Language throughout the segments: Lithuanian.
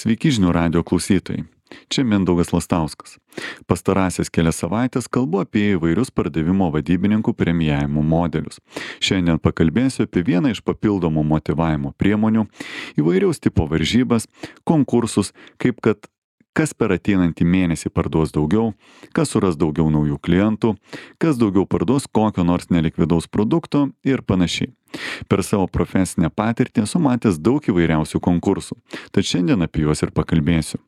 Sveiki žinių radijo klausytojai. Čia Mindaugas Lastauskas. Pastarąsias kelias savaitės kalbu apie įvairius pardavimo vadybininkų premijavimo modelius. Šiandien pakalbėsiu apie vieną iš papildomų motyvavimo priemonių, įvairiaus tipo varžybas, konkursus, kaip kad kas per ateinantį mėnesį parduos daugiau, kas suras daugiau naujų klientų, kas daugiau parduos kokio nors nelikvidaus produkto ir panašiai. Per savo profesinę patirtį esu matęs daug įvairiausių konkursų, tad šiandien apie juos ir pakalbėsiu.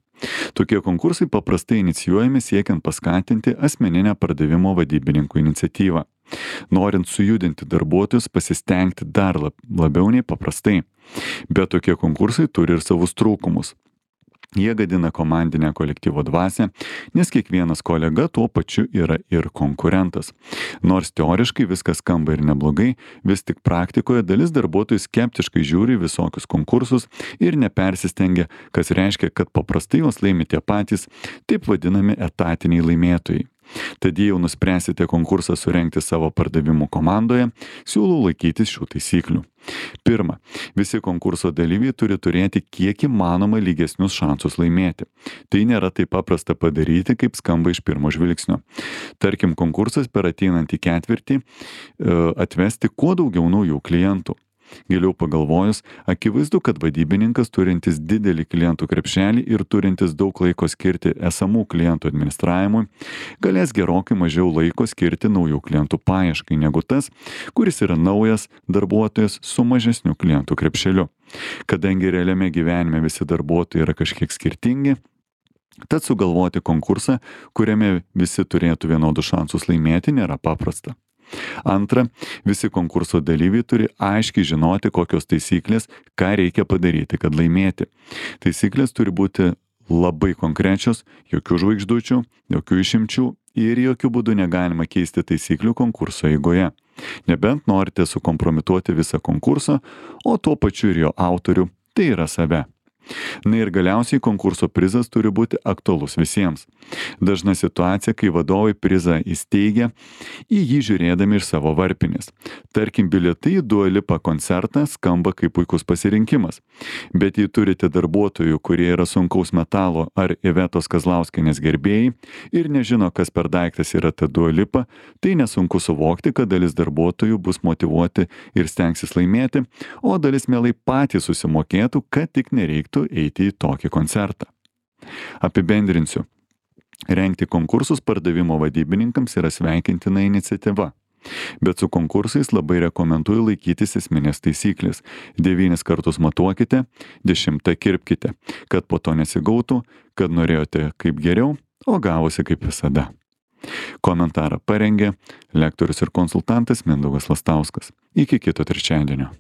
Tokie konkursai paprastai inicijuojami siekiant paskatinti asmeninę pardavimo vadybininkų iniciatyvą. Norint sujudinti darbuotojus, pasistengti dar labiau nei paprastai. Bet tokie konkursai turi ir savus trūkumus. Jie gadina komandinę kolektyvo dvasią, nes kiekvienas kolega tuo pačiu yra ir konkurentas. Nors teoriškai viskas skamba ir neblogai, vis tik praktikoje dalis darbuotojų skeptiškai žiūri visokius konkursus ir nepersistengia, kas reiškia, kad paprastai juos laimi tie patys, taip vadinami etatiniai laimėtojai. Tad jei jau nuspręsite konkursą surengti savo pardavimų komandoje, siūlau laikytis šių taisyklių. Pirma, visi konkurso dalyviai turi turėti kiek įmanoma lygesnius šansus laimėti. Tai nėra taip paprasta padaryti, kaip skamba iš pirmo žvilgsnio. Tarkim, konkursas per ateinantį ketvirtį atvesti kuo daugiau naujų klientų. Giliau pagalvojus, akivaizdu, kad vadybininkas turintis didelį klientų krepšelį ir turintis daug laiko skirti esamų klientų administravimui, galės gerokai mažiau laiko skirti naujų klientų paieškai negu tas, kuris yra naujas darbuotojas su mažesniu klientų krepšeliu. Kadangi realiame gyvenime visi darbuotojai yra kažkiek skirtingi, tad sugalvoti konkursą, kuriame visi turėtų vienodus šansus laimėti, nėra paprasta. Antra, visi konkurso dalyviai turi aiškiai žinoti, kokios taisyklės, ką reikia padaryti, kad laimėti. Taisyklės turi būti labai konkrečios, jokių žvaigždučių, jokių išimčių ir jokių būdų negalima keisti taisyklių konkurso eigoje. Nebent norite sukompromituoti visą konkursą, o tuo pačiu ir jo autorių, tai yra save. Na ir galiausiai konkurso prizas turi būti aktualus visiems. Dažna situacija, kai vadovai prizą įsteigia, į jį žiūrėdami iš savo varpinės. Tarkim, bilietai į Dua Lipa koncertą skamba kaip puikus pasirinkimas. Bet jei turite darbuotojų, kurie yra sunkaus metalo ar Ivetos Kazlauskienės gerbėjai ir nežino, kas per daiktas yra ta Dua Lipa, tai nesunku suvokti, kad dalis darbuotojų bus motyvuoti ir stengsis laimėti, o dalis mielai patys susimokėtų, kad tik nereiktų eiti į tokį koncertą. Apibendrinsiu. Rengti konkursus pardavimo vadybininkams yra sveikintina iniciatyva. Bet su konkursais labai rekomenduoju laikytis esminės taisyklės. 9 kartus matuokite, 10 kirpkite, kad po to nesigautų, kad norėjote kaip geriau, o gavosi kaip visada. Komentarą parengė lektorius ir konsultantas Mindaugas Lastauskas. Iki kito trečiadienio.